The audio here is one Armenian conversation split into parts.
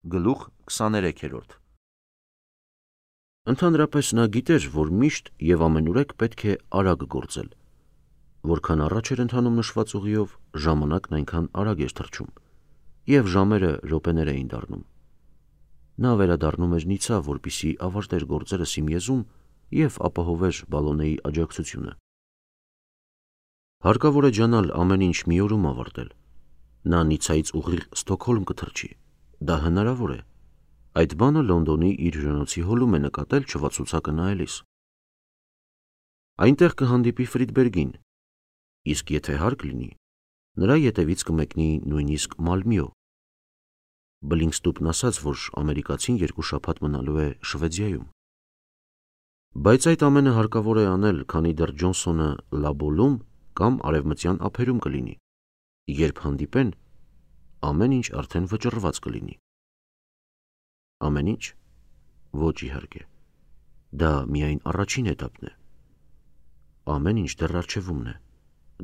Գլուխ 23-րդ Ընդհանրապես նա գիտեր, որ միշտ և ամենուրեք պետք է արագ գործել։ Որքան առաջ էր ընթանում նշված ուղիով, ժամանակն այնքան արագ էր թռչում, և ժամերը րոպեներ էին դառնում։ Նա վերադառնում էր Նիցա, որպեսզի ավարտեր գործերը Սիմեզում և ապահովեր Բալոնեի աջակցությունը։ Հարկավոր է ջանալ ամեն ինչ մի օրում ավարտել։ Նա Նիցայից ուղիղ Ստոկհոլմ կթռչի։ Դա հնարավոր է։ Այդ բանը Լոնդոնի իր հյուրանոցի հոլում է նկատել չվացուցակը նայելիս։ Այնտեղ կհանդիպի Ֆրիդբերգին, իսկ եթե հարկ լինի, նրա ետևից կմեկնի նույնիսկ Մալմյո։ Բլինքստուպն ասաց, որ ամերիկացին 2 շաբաթ մնալու է Շվեդիայում։ Բայց այդ ամենը հարկավոր է անել, քանի դեռ Ջոնսոնը Լաբոլում կամ արևմտյան ափերում կլինի։ Երբ հանդիպեն, ամեն ինչ արդեն վճռված կլինի։ Ամեն ինչ։ Ոչ, իհարկե, դա միայն առաջին էտապն է։ Ամեն ինչ դեռ առջևումն է,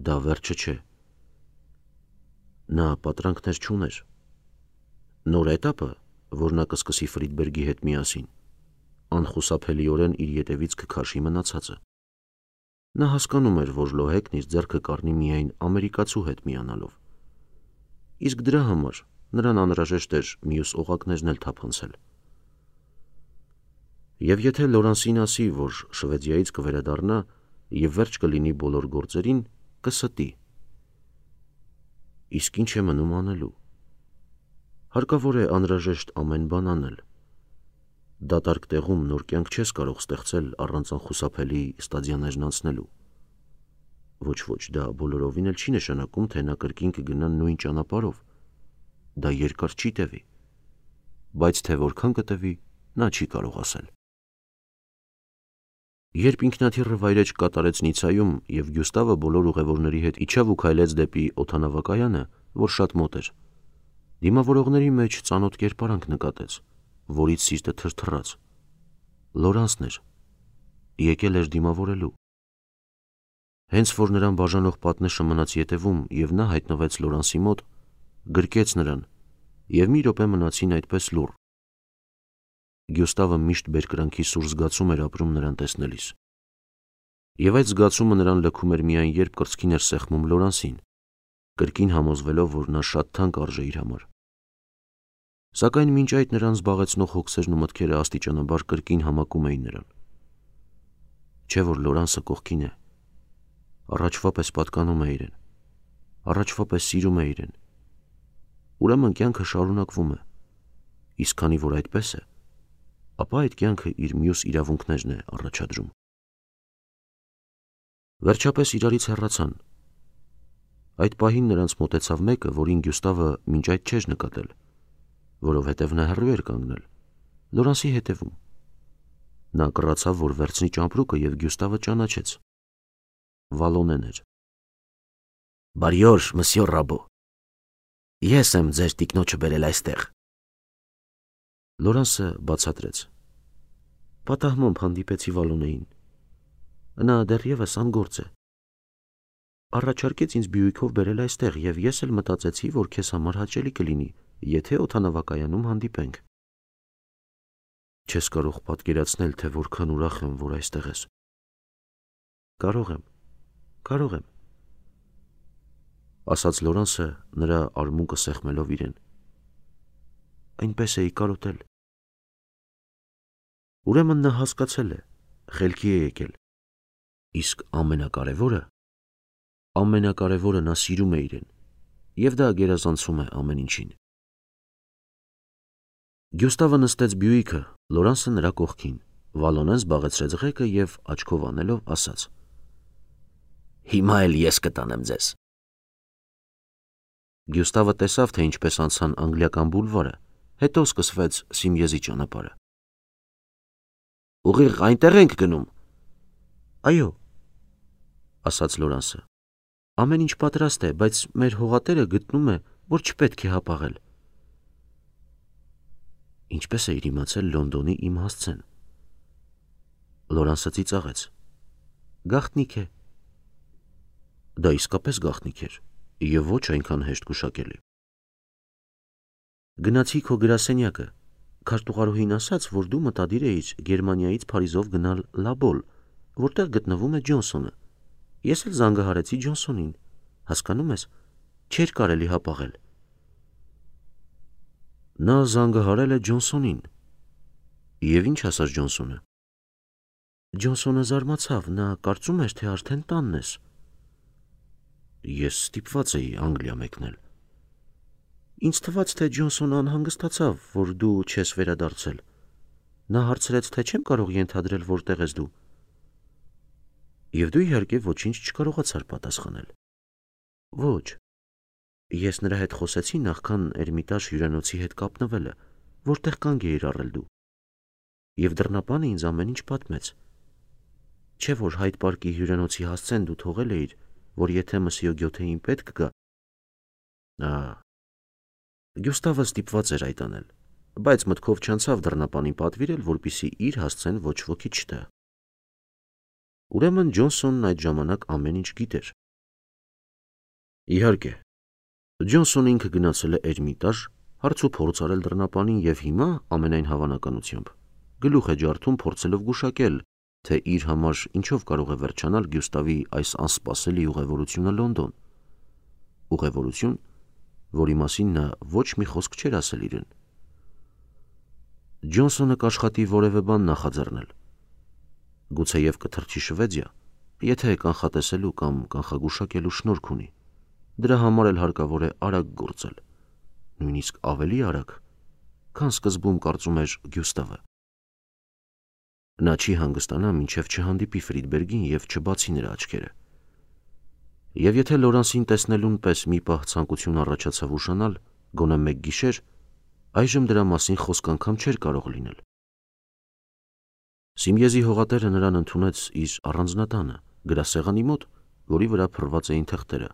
դա վերջը չէ։ Նա պատրանքներ չուներ։ Նոր էտապը, որ նա կսկսի Ֆրիդբերգի հետ միասին, անխուսափելիորեն իր ետևից կքաշի մնացածը։ Նա հասկանում էր, որ Լոհեկն իր ձեռքը կառնի միայն ամերիկացու հետ միանալով։ Իսկ դրա համար նրան անհրաժեշտ էր մյուս օղակներն էլ թափանցել։ Եվ եթե Լորանսին ասի, որ Շվեդիայից կվերադառնա և վերջ կլինի բոլոր գործերին, կստի։ Իսկ ինչ է մնում անելու։ Հարկավոր է անհրաժեշտ ամեն բան անել։ Դատարկ տեղում նոր կյանք չես կարող ստեղծել առանց անխուսափելի ստադիաներն անցնելու։ Ոչ, դա բոլորովին էլ չի նշանակում, թե նա կրկին կգնա նույն ճանապարհով։ Դա երկար չի տևի, բայց թե որքան կտևի, նա չի կարող ասել։ Երբ ինքնաթիռը վայրէջք կատարեց Նիցայում և Գյուստավը բոլոր ուղևորների հետ իջավ ու քայլեց դեպի օդանավակայանը, որ շատ մոտ էր, դիմավորողների մեջ ծանոթ կերպարանք նկատեց, որից սիրտը թրթռաց։ Լորանսն էր։ Եկել էր դիմավորելու։ Հենց որ նրան բաժանող պատնեշը մնաց ետևում և նա հայտնվեց Լորանսի մոտ, գրկեց նրան, և մի րոպե մնացին այդպես լուռ։ Գյուստավը միշտ բերկրանքի սուր զգացում էր ապրում նրան տեսնելիս։ Եվ այդ զգացումը նրան լքում էր միայն, երբ կրծքին էր սեղմում Լորանսին, կրկին համոզվելով, որ նա շատ թանկ արժե իր համար։ Սակայն մինչ այդ նրան զբաղեցնող հոգսերն ու մտքերը աստիճանաբար կրկին համակում էին նրան։ Չէ՞ որ Լորանսը կողքին է։ Առաջվա պես պատկանում է իրեն։ Առաջվա պես սիրում է իրեն։ Ուրեմն կյանքը շարունակվում է։ Իսկ քանի որ այդպես է, ապա այդ կյանքը իր մյուս իրավունքներն է առաջադրում։ Վերջապես իրարից հեռացան։ Այդ պահին նրանց մոտեցավ մեկը, որին Գյուստավը մինչ այդ չէր նկատել, որովհետև նա հեռու էր կանգնել, Լորանսի հետևում։ Նա կռացավ, որ վերցնի ճամպրուկը, և Գյուստավը ճանաչեց։ Վալոնեն էր։ «Բարի օր, մսյո Ռաբո։ Ես եմ ձեր տիկնոջը բերել այստեղ»։ Լորանսը բացատրեց։ Պատահմամբ հանդիպեցի Վալոնեին։ Նա դեռևս անգործ է։ Առաջարկեց ինձ Բյուիկով բերել այստեղ, և ես էլ մտածեցի, որ քեզ համար հաճելի կլինի, եթե օդանավակայանում հանդիպենք։ Չես կարող պատկերացնել, թե որքան ուրախ եմ, որ այստեղ ես։ Կարող եմ, ասաց Լորանսը, նրա արմունկը սեղմելով իրեն։ Այնպես էի կարոտել։ Ուրեմն նա հասկացել է, խելքի է եկել։ Իսկ ամենակարևորը նա սիրում է իրեն, և դա գերազանցում է ամեն ինչին։ Գյուստավը նստեց Բյուիկը, Լորանսը նրա կողքին, Վալոնեն զբաղեցրեց ղեկը և աչքով անելով ասաց. Հիմա էլ ես կտանեմ ձեզ։ Գյուստավը տեսավ, թե ինչպես անցան Անգլիական բուլվարը, հետո սկսվեց Սիմեզի ճանապարհը։ Ուղիղ այնտեղ ենք գնում։ Այո, ասաց Լորանսը։ Ամեն ինչ պատրաստ է, բայց մեր հողատերը գտնում է, որ չպետք է հապաղել։ Ինչպես էիր իմացել Լոնդոնի իմ հասցեն։ Լորանսը ծիծաղեց։ Գաղտնիք է։ Դա իսկապես գաղտնիք էր, և ոչ այնքան հեշտ գուշակելի։ Գնացի քո գրասենյակը, քարտուղարուհին ասաց, որ դու մտադիր էիր Գերմանիայից Փարիզով գնալ Լաբոլ, որտեղ գտնվում է Ջոնսոնը։ Ես էլ զանգահարեցի Ջոնսոնին, հասկանում ես, չէր կարելի հապաղել։ Նա զանգահարել է Ջոնսոնին։ Եվ ինչ ասաց Ջոնսոնը։ Ջոնսոնը զարմացավ, նա կարծում էր, թե արդեն տանն ես։ Ես ստիպված էի Անգլիա մեկնել։ Ինձ թվաց, թե Ջոնսոնը անհանգստացավ, որ դու չես վերադարձել։ Նա հարցրեց, թե չեմ կարող ենթադրել, որտեղ ես դու։ Եվ դու իհարկե ոչինչ չկարողացար պատասխանել։ Ոչ։ Ես նրա հետ խոսեցի նախքան Էրմիտաժ հյուրանոցի հետ կապնվելը, որտեղ կանգ էիր առել դու։ Եվ դռնապանը ինձ ամեն ինչ պատմեց։ Չէ՞ որ Հայդ պարկի հյուրանոցի հասցեն դու թողել էիր, որ եթե Մսյո Գյոթեին պետք գա։ Գյուստավը ստիպված էր այդ անել, բայց մտքով չանցավ դռնապանին պատվիրել, որպեսզի իր հասցեն ոչ ոքի չտա։ Ուրեմն Ջոնսոնն այդ ժամանակ ամեն ինչ գիտեր։ Իհարկե, Ջոնսոնը ինքը գնացել է Էրմիտաժ, հարց ու փորձ արել դռնապանին եւ հիմա, ամենայն հավանականությամբ, գլուխ է ջարդում փորձելով գուշակել, թե իր համար ինչով կարող է վերջանալ Գյուստավի այս անսպասելի ուղևորությունը Լոնդոն։ Ուղևորություն, որի մասին նա ոչ մի խոսք չէր ասել իրեն։ Ջոնսոնը կաշխատի որևէ բան նախաձեռնել։ Գուցեև կթռչի Շվեդիա, եթե կանխատեսելու կամ կանխագուշակելու շնորհք ունի։ Դրա համար էլ հարկավոր է արագ գործել, նույնիսկ ավելի արագ, քան սկզբում կարծում էր Գյուստավը։ Նա չի հանգստանա, մինչև չհանդիպի Ֆրիդբերգին և չբացի նրա աչքերը։ Եվ եթե Լորանսին տեսնելուն պես մի պահ ցանկություն առաջացավ ուշանալ, գոնե մեկ գիշեր, այժմ դրա մասին խոսք անգամ չէր կարող լինել։ Սիմիեզի հողատերը նրան ընդունեց իր առանձնատանը, գրասեղանի մոտ, որի վրա փռված էին թղթերը։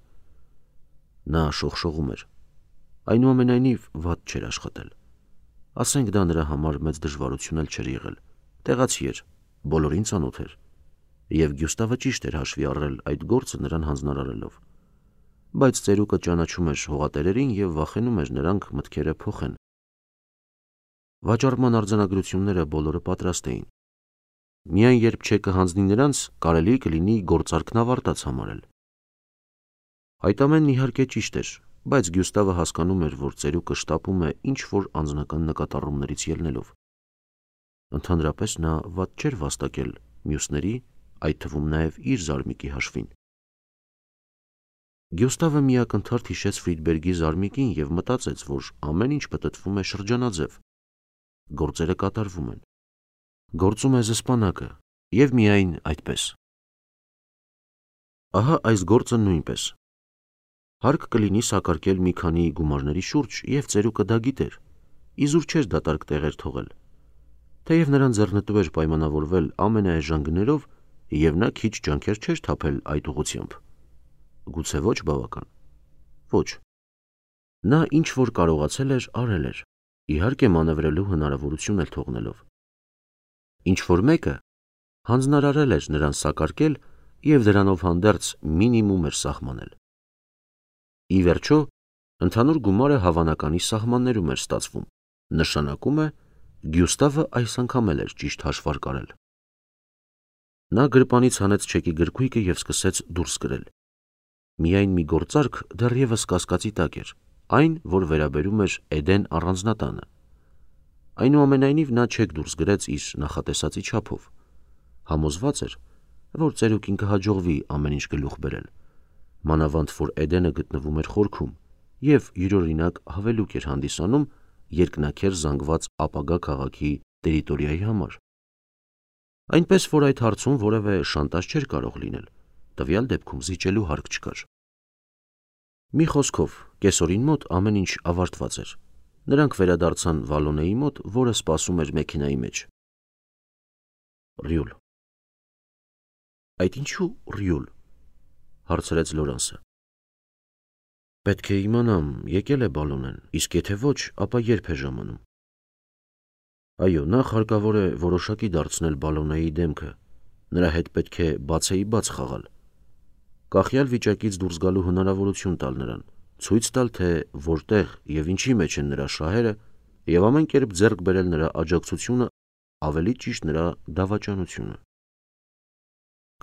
Նա շողշողում էր։ Այնուամենայնիվ վատ չէր աշխատել։ Ասենք դա նրա համար մեծ դժվարություն էլ չէր եղել։ Տեղացի էր, բոլորին ծանոթ էր։ Եվ Գյուստավը ճիշտ էր հաշվի առել այդ գործը նրան հանձնարարելով։ Բայց ծերուկը ճանաչում էր հողատերերին և վախենում էր նրանք մտքերը փոխեն։ Վաճառման արձանագրությունները բոլորը պատրաստ էին։ Միայն երբ չեկը հանձնի նրանց, կարելի կլինի գործարքն ավարտած համարել։ Այդ ամենն իհարկե ճիշտ էր, բայց Գյուստավը հասկանում էր, որ ծերուկը շտապում է ինչ-որ անձնական նկատառումներից ելնելով։ Ընդհանրապես նա վատ չէր վաստակել մյուսների, այդ թվում նաև իր զարմիկի հաշվին։ Գյուստավը միակնթարթ հիշեց Ֆրիդբերգի զարմիկին և մտածեց, որ ամեն ինչ պտտվում է շրջանաձև։ Գործերը կատարվում են։ Գործում է զսպանակը, և միայն այդպես։ Ահա այս գործը նույնպես։ Հարկ կլինի սակարկել մի քանի գումարների շուրջ, և ծերուկը դա գիտեր, իզուր չէր դատարկ տեղեր թողել։ Թեև նրան ձեռնտու էր պայմանավորվել ամենաէժան գներով, և նա քիչ ջանքեր չէր թափել այդ ուղղությամբ։ Գուցե ոչ բավական։ Ոչ։ Նա ինչ որ կարողացել էր, արել էր, իհարկե մանևրելու հնարավորություն էլ թողնելով։ Ինչ որ մեկը հանձնարարել էր նրան սակարկել և դրանով հանդերձ մինիմում էր սահմանել։ Ի վերջո, ընդհանուր գումարը հավանականի սահմաններում էր ստացվում, նշանակում է, Գյուստավը այս անգամ էլ էր ճիշտ հաշվարկ արել։ Նա գրպանից հանեց չեկի գրքույկը և սկսեց դուրս գրել։ Միայն մի գործարք դեռևս կասկածի տակ էր, այն, որ վերաբերում էր Էդեն առանձնատանը։ Այնուամենայնիվ նա չեք դուրս գրեց իր նախատեսածի չափով։ Համոզված էր, որ ծերուկին կհաջողվի ամեն ինչ գլուխ բերել, մանավանդ որ Էդենը գտնվում էր խորքում և յուրօրինակ հավելուկ էր հանդիսանում երկնաքեր զանգված ապագա քաղաքի տերիտորիայի համար։ Այնպես որ այդ հարցում որևէ շանտաժ չէր կարող լինել, տվյալ դեպքում զիջելու հարկ չկար։ Մի խոսքով, կեսօրին մոտ ամեն ինչ ավարտված էր։ Նրանք վերադարձան Վալոնեի մոտ, որը սպասում էր մեքենայի մեջ։ Ռյուլ։ Այդ ինչու Ռյուլ, հարցրեց Լորանսը։ Պետք է իմանամ, եկել է Բալոնեն, իսկ եթե ոչ, ապա երբ է ժամանում։ Այո, նախ հարկավոր է որոշակի դարձնել Բալոնեի դեմքը, նրա հետ պետք է բացեիբաց խաղալ, կախյալ վիճակից դուրս գալու հնարավորություն տալ նրան, ցույց տալ, թե որտեղ եւ ինչի մեջ են նրա շահերը եւ ամեն կերպ ձեռք բերել նրա աջակցությունը, ավելի ճիշտ նրա դավաճանությունը։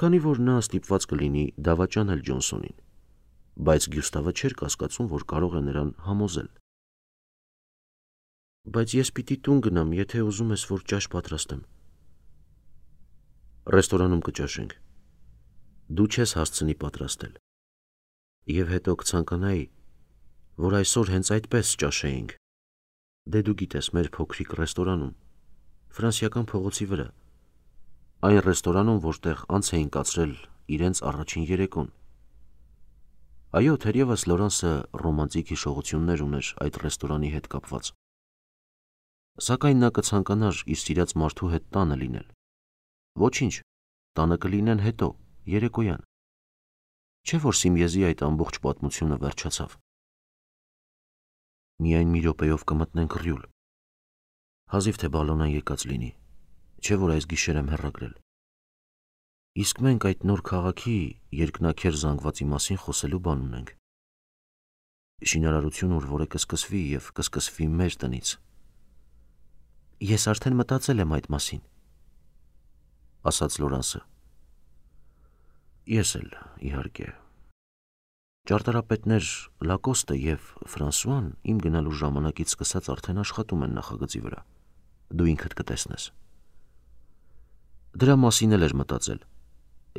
Քանի որ նա ստիպված կլինի դավաճանել Ջոնսոնին, բայց Գյուստավը չէր կասկածում, որ կարող է նրան համոզել։ Բայց ես պիտի տուն գնամ, եթե ուզում ես, որ ճաշ պատրաստեմ։ Ռեստորանում կճաշենք։ Դու չես հասցնի պատրաստել։ Եվ հետո կցանկանայի, որ այսօր հենց այդպես ճաշեինք։ Դե դու գիտես, մեր փոքրիկ ռեստորանում, Ֆրանսիական փողոցի վրա, այն ռեստորանում, որտեղ անց էին կացրել իրենց առաջին երեկոն։ Այո, թերևս Լորանսը ռոմանտիկ հիշողություններ ուներ այդ ռեստորանի հետ կապված։ Սակայն նա կցանկանար իր սիրած մարդու հետ տանը լինել։ Ոչինչ, տանը կլինեն հետո, երեկոյան։ Չէ՞ որ Սիմիեզի այդ ամբողջ պատմությունը վերջացավ։ Միայն մի րոպեով կմտնենք ռյուլ։ Հազիվ թե բալոնան եկած լինի, չէ՞ որ այս գիշեր եմ հեռագրել։ Իսկ մենք այդ նոր քաղաքի երկնաքեր զանգվածի մասին խոսելու բան ունենք։ Շինարարություն, որը կսկսվի եւ կսկսվի մեր տնից։ Ես արդեն մտածել եմ այդ մասին, ասաց Լորանսը։ Ես էլ, իհարկե։ Ճարտարապետներ Լակոստը եւ Ֆրանսուան իմ գնալու ժամանակից սկսած արդեն աշխատում են նախագծի վրա։ Դու ինքդ կտեսնես։ Դրա մասին էլ էր մտածել։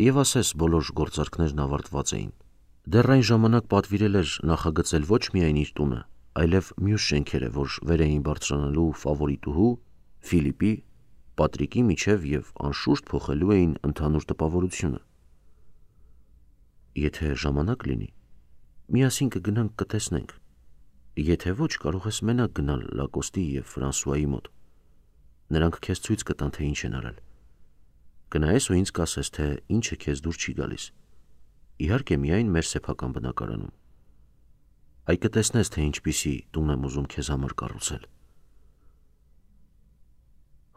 Եվ ասես բոլոր գործարքներն ավարտված էին։ Դեռ այն ժամանակ պատվիրել էր նախագծել ոչ միայն իր տունը, այլև մյուս շենքերը, որ վեր էին բարձրանալու ֆավորիտուհու, Ֆիլիպի, Պատրիկի միջև եւ անշուշտ փոխելու էին ընդհանուր տպավորությունը։ Եթե ժամանակ լինի, միասին կգնանք կտեսնենք։ Եթե ոչ, կարող ես մենակ գնալ Լակոստի եւ Ֆրանսուայի մոտ։ Նրանք քեզ ցույց կտան, թե ինչ են արել։ Գնայես ու ինձ կասես, թե ինչը քեզ դուր չի գալիս։ Իհարկե միայն մեր սեփական բնակարանում։ Այ կտեսնես, թե ինչպիսի տուն եմ ուզում քեզ համար կառուցել։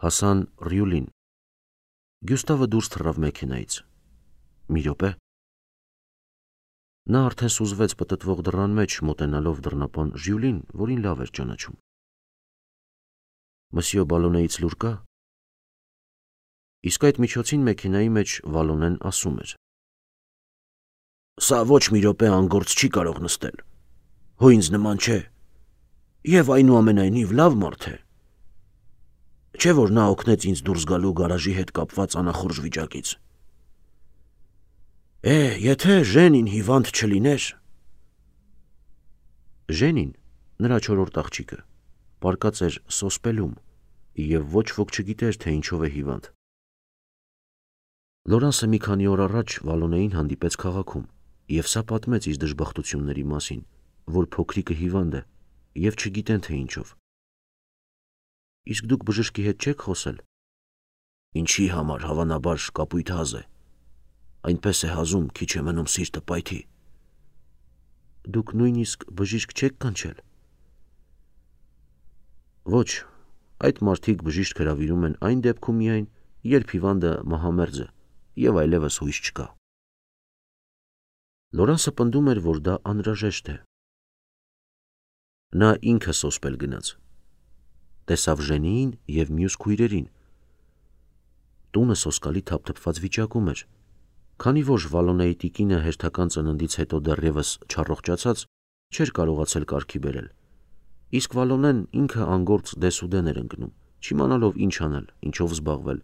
Հասան Ռյուլին։ Գյուստավը դուրս թռավ մեքենայից։ Մի րոպե։ Նա արդեն սուզվեց պտտվող դռան մեջ, մոտենալով դռնապան Ժյուլին, որին լավ էր ճանաչում։ Մսյո Բալոնեից լուր կա։ Իսկ այդ միջոցին մեքենայի մեջ Վալոնեն ասում էր. Սա ոչ մի րոպե անգործ չի կարող նստել։ Հո ինձ նման չէ։ Եվ այնուամենայնիվ լավ մարդ է։ Չէ՞ որ նա օգնեց ինձ դուրս գալու գարաժի հետ կապված անախորժ վիճակից։ Եթե Ժենին հիվանդ չլիներ։ Ժենին, նրա չորրորդ աղջիկը, պարկած էր սոսպելում, եւ ոչ ոք չգիտեր, թե ինչով է հիվանդ։ Լորանսը մի քանի օր առաջ Վալոնեին հանդիպեց քաղաքում, եւ սա պատմեց իր դժբախտությունների մասին, որ փոքրիկը հիվանդ է, եւ չգիտեն, թե ինչով։ Իսկ դուք բժշկի հետ չեք խոսել։ Ինչի համար, հավանաբար կապույտ հազ է։ Այնպես է հազում, քիչ է մնում սիրտը պայթի։ Դուք նույնիսկ բժիշկ չեք կանչել։ Ոչ, այդ մարդիկ բժիշկ հրավիրում են այն դեպքում միայն, երբ հիվանդը մահամերձ է եւ այլևս հույս չկա։ Լորանսը պնդում էր, որ դա անհրաժեշտ է։ Նա ինքը սոսպել գնաց։ Տեսավ Ժենիին եւ մյուս քույրերին։ Տունը սոսկալի թափթփված վիճակում էր, քանի որ Վալոնեի տիկինը հերթական ծննդից հետո դեռևս չառողջացած չէր կարողացել կարգի բերել։ Իսկ Վալոնեն ինքը անգործ դեսուդեն էր ընկնում, չիմանալով ինչ անել, ինչով զբաղվել,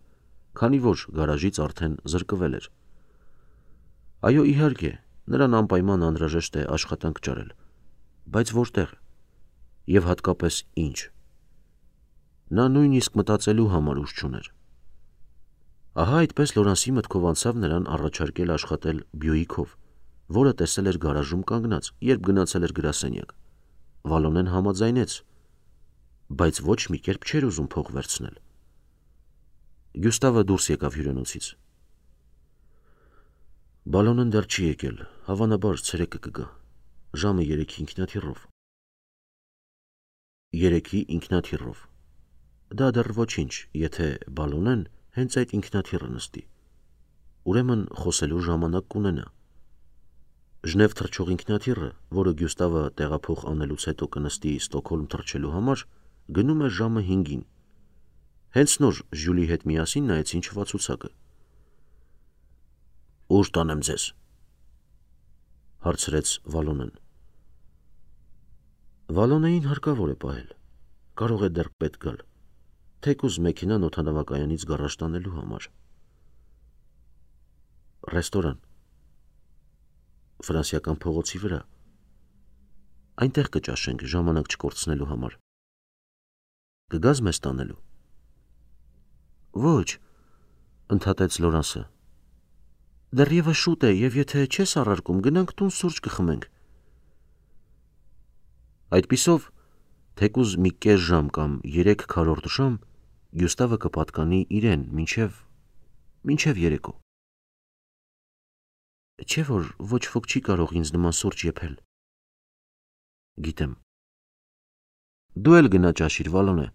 քանի որ գարաժից արդեն զրկվել էր։ Այո, իհարկե, նրան անպայման անհրաժեշտ է աշխատանք ճարել, բայց որտեղ եւ հատկապես ինչ։ Նա նույնիսկ մտածելու համար ուժ չուներ։ Ահա այդպես Լորանսի մտքով անցավ նրան առաջարկել աշխատել Բյուիկով, որը տեսել էր գարաժում կանգնած, երբ գնացել էր գրասենյակ։ Վալոնեն համաձայնեց, բայց ոչ մի կերպ չէր ուզում փող վերցնել։ Գյուստավը դուրս եկավ հյուրանոցից։ Բալոնեն դեռ չի եկել, հավանաբար ցերեկը կգա, ժամը 3-ի ինքնաթիռով։ 3-ի ինքնաթիռով։ Դա դեռ ոչինչ, եթե Բալոնեն հենց այդ ինքնաթիռը նստի։ Ուրեմն խոսելու ժամանակ կունենա։ Ժնև թռչող ինքնաթիռը, որը Գյուստավը տեղափոխ անելուց հետո կնստի Ստոկհոլմ թռչելու համար, գնում է ժամը 5-ին։ Հենց նոր Ժյուլի հետ միասին նայեցին չվացուցակը։ «Ուր տանեմ ձեզ», հարցրեց Վալոնեն։ Վալոնեին հարկավոր է պահել, կարող է դեռ պետք գալ, թեկուզ մեքենան օդանավակայանից գարաժ տանելու համար։ Ռեստորան, ֆրանսիական փողոցի վրա, այնտեղ կճաշենք ժամանակ չկորցնելու համար։ Կգազ մեզ տանելու։ Ոչ, ընդհատեց Լորանսը, դեռևս շուտ է և եթե չես առարկում, գնանք տուն սուրճ կխմենք։ Այդպիսով, թեկուզ մի կես ժամ կամ 3/4 ժամ Գյուստավը կպատկանի իրեն մինչև երեկո։ Չէ՞ որ ոչ ոք չի կարող ինձ նման սուրճ եփել։ Գիտեմ։ Դու էլ գնա ճաշիր, Վալոնե։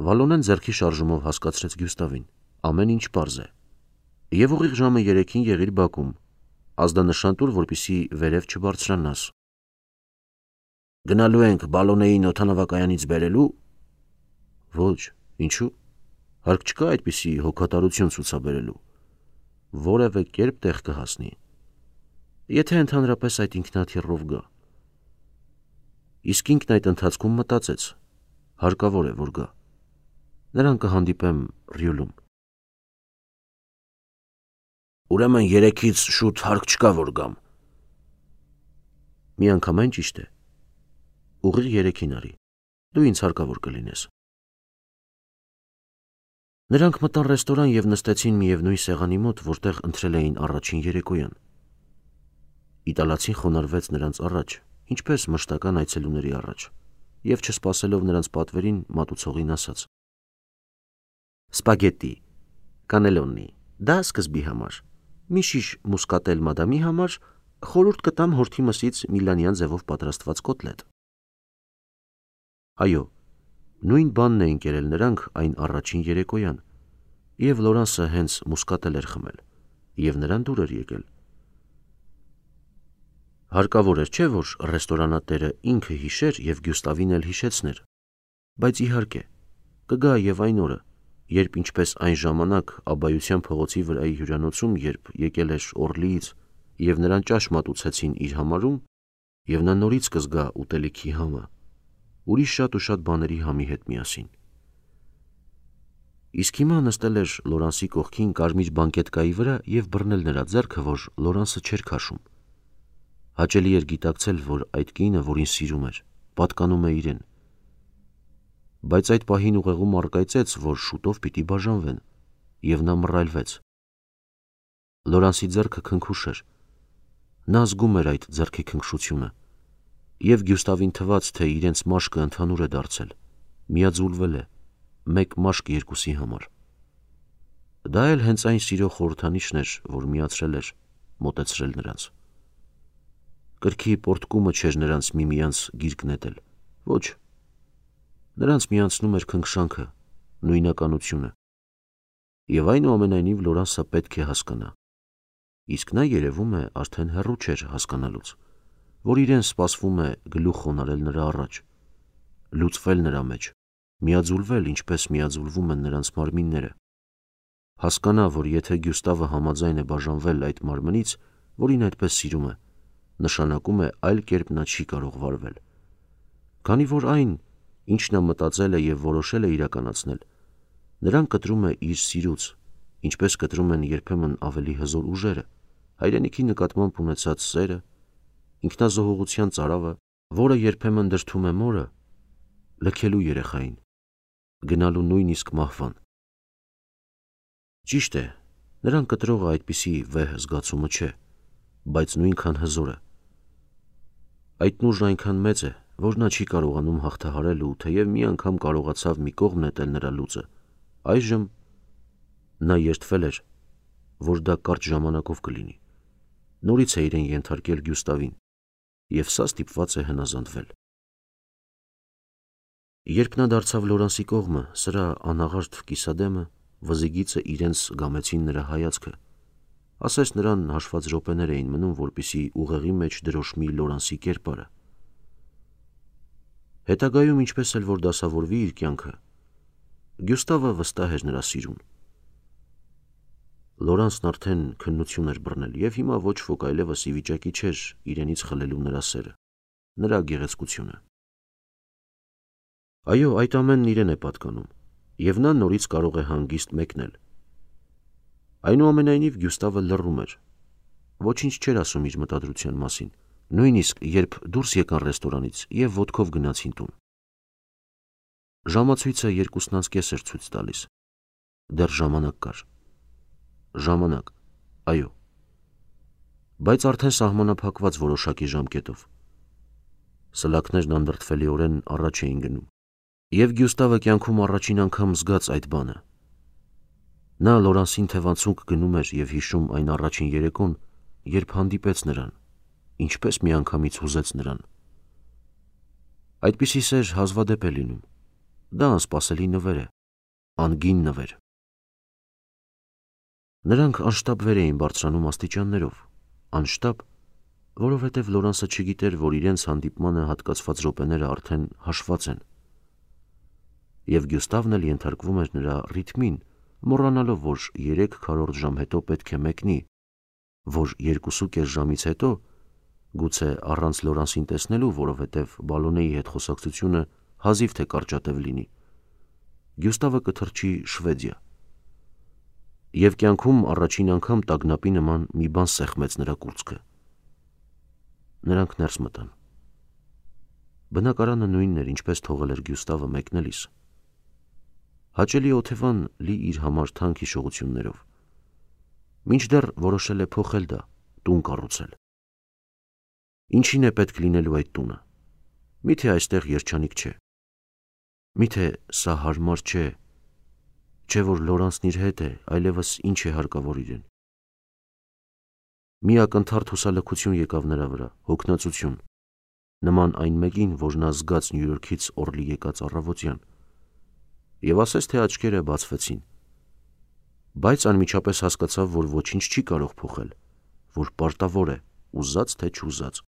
Վալոնեն ձեռքի շարժումով հասկացրեց Գյուստավին, ամեն ինչ պարզ է։ Եվ ուղիղ ժամը 3-ին եղիր բակում, ազդանշան տուր, որպեսզի վերև չբարձրանաս։ Գնալու ենք Վալոնեին օդանավակայանից բերելու։ Ոչ, ինչու՞։ Հարկ չկա այդպիսի հոգատարություն ցուցաբերելու։ Որևէ կերպ տեղ կհասնի։ Եթե ընդհանրապես այդ ինքնաթիռով գա։ Իսկ ինքն այդ ընթացքում մտածեց, հարկավոր է, որ գա։ Նրան կհանդիպեմ Ռյուլում։ Ուրեմն 3-ից շուտ հարկ չկա, որ գամ։ Միանգամայն ճիշտ է։ Ուղիղ 3-ին արի։ Դու ինձ հարկավոր կլինես։ Նրանք մտան ռեստորան և նստեցին միևնույն սեղանի մոտ, որտեղ ընթրել էին առաջին երեկոյան։ Իտալացին խոնարհվեց նրանց առաջ, ինչպես մշտական այցելուների առաջ, և չսպասելով նրանց պատվերին, մատուցողին ասաց. Սպագետտի, կանելոնի, դա սկզբի համար, մի շիշ մուսկատել մադամի համար, խորհուրդ կտամ հորթի մսից միլանյան ձևով պատրաստված կոտլետ։ Այո, նույն բանն էին կերել նրանք այն առաջին երեկոյան, և Լորանսը հենց մուսկատել էր խմել, և նրան դուր էր եկել։ Հարկավոր էր, չէ՞ որ ռեստորանատերը ինքը հիշեր և Գյուստավին էլ հիշեցներ, բայց իհարկե, կգա և այն օրը, երբ ինչպես այն ժամանակ Աբբայության փողոցի վրայի հյուրանոցում, երբ եկել էր Օրլիից և նրան ճաշ մատուցեցին իր համարում, և նա նորից կզգա ուտելիքի համը, ուրիշ շատ ու շատ բաների համի հետ միասին։ Իսկ հիմա նստել էր Լորանսի կողքին կարմիր բանկետկայի վրա և բռնել նրա ձեռքը, որ Լորանսը չէր քաշում։ Հաճելի էր գիտակցել, որ այդ կինը, որին սիրում էր, պատկանում է իրեն։ Բայց այդ պահին ուղեղում առկայծեց, որ շուտով պիտի բաժանվեն, և նա մռայլվեց։ Լորանսի ձեռքը քնքուշ էր։ Նա զգում էր այդ ձեռքի քնքշությունը, և Գյուստավին թվաց, թե իրենց մաշկը ընդհանուր է դարձել, միաձուլվել է, մեկ մաշկ երկուսի համար։ Դա էլ հենց այն սիրո խորհրդանիշն էր, որ միացրել էր, մոտեցրել նրանց։ Կրքի պոռթկումը չէր նրանց միմյանց գիրկ նետել, ոչ, նրանց միացնում էր քնքշանքը, նույնականությունը։ Եվ այնուամենայնիվ Լորանսը պետք է հասկանա, իսկ նա երևում է արդեն հեռու չէր հասկանալուց, որ իրեն սպասվում է գլուխ խոնարհել նրա առաջ, լուծվել նրա մեջ, միաձուլվել, ինչպես միաձուլվում են նրանց մարմինները, հասկանա, որ եթե Գյուստավը համաձայն է բաժանվել այդ մարմնից, որին այդպես սիրում է, նշանակում է այլ կերպ նա չի կարող վարվել։ Քանի որ այն, ինչ նա մտածել է և որոշել է իրականացնել, նրան կտրում է իր սիրուց, ինչպես կտրում են երբեմն ավելի հզոր ուժերը, հայրենիքի նկատմամբ ունեցած սերը, ինքնազոհողության ծարավը, որը երբեմն դրդում է մորը, լքելու երեխային, գնալու նույնիսկ մահվան։ Ճիշտ է, նրան կտրողը այդպիսի վեհ զգացումը չէ, բայց նույնքան հզոր է։ Այդ նուրն այնքան մեծ է, որ նա չի կարողանում հաղթահարել ու թեև մի անգամ կարողացավ մի կողմ նետել նրա լուծը, այժմ նա երդվել էր, որ դա կարճ ժամանակով կլինի, նորից է իրեն ենթարկել Գյուստավին, և սա ստիպված է հնազանդվել։ Երբ նա դարձավ Լորանսի կողմը, սրա անաղարտ կիսադեմը, վզիգիծը իրենց զգամեցին նրա հայացքը, ասես նրան հաշված րոպեներ էին մնում, որպեսզի ուղեղի մեջ դրոշմի Լորանսի կերպարը։ Հետագայում ինչպես էլ որ դասավորվի իր կյանքը, Գյուստավը վստահ էր նրա սիրուն։ Լորանսն արդեն քննություն էր բռնել և հիմա ոչ ոք այլևս ի վիճակի չէր իրենից խլելու նրա սերը, նրա գեղեցկությունը։ Այո, այդ ամենն իրեն է պատկանում, և նա նորից կարող է հանգիստ մեկնել։ Այնուամենայնիվ Գյուստավը լռում էր, ոչինչ չէր ասում իր մտադրության մասին, նույնիսկ երբ դուրս եկան ռեստորանից և ոտքով գնացին տուն։ Ժամացույցը 2:30 էր ցույց տալիս։ Դեռ ժամանակ կար։ Ժամանակ, այո, բայց արդեն սահմանափակված որոշակի ժամկետով։ Սլաքներն անդրդվելիորեն առաջ էին գնում, և Գյուստավը կյանքում առաջին անգամ զգաց այդ բանը։ Նա Լորանսին թևանցուկ գնում էր և հիշում այն առաջին երեկոն, երբ հանդիպեց նրան, ինչպես միանգամից հուզեց նրան։ Այդպիսի սեր հազվադեպ է լինում, դա անսպասելի նվեր է, անգին նվեր։ Նրանք անշտապ վեր էին բարձրանում աստիճաններով, անշտապ, որովհետև Լորանսը չգիտեր, որ իրենց հանդիպմանը հատկացված րոպեները արդեն հաշված են։ Եվ Գյուստավն էլ ենթարկվում էր նրա ռիթմին, մոռանալով, որ 3/4 ժամ հետո պետք է մեկնի, որ 2.5 ժամից հետո, գուցե առանց Լորանսին տեսնելու, որովհետև Բալոնեի հետ խոսակցությունը հազիվ թե կարճատև լինի, Գյուստավը կթռչի Շվեդիա։ Եվ կյանքում առաջին անգամ տագնապի նման մի բան սեղմեց նրա կուրծքը։ Նրանք ներս մտան։ Բնակարանը նույնն էր, ինչպես թողել էր Գյուստավը մեկնելիս։ Հաճելի օթևան լի իր համար թանկ հիշողություններով։ Մինչդեռ որոշել է փոխել դա, տուն կառուցել։ Ինչին է պետք լինելու այդ տունը։ Միթե այստեղ երջանիկ չէ։ Միթե սա հարմար չէ, չէ որ Լորանսն իր հետ է, այլևս ինչ է հարկավոր իրեն։ Մի ակնթարթ հուսալքություն եկավ նրա վրա, հոգնածություն, նման այն մեկին, որ նա զգաց Նյու Յորքից Օրլի եկած առավոտյան, և ասես թե աչքերը բացվեցին, բայց անմիջապես հասկացավ, որ ոչինչ չի կարող փոխել, որ պարտավոր է, ուզած թե չուզած,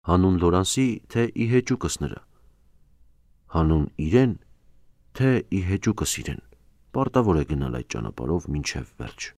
հանուն Լորանսի, թե ի հեճուկս նրա, հանուն իրեն, թե ի հեճուկս իրեն, պարտավոր է գնալ այդ ճանապարհով մինչև վերջ։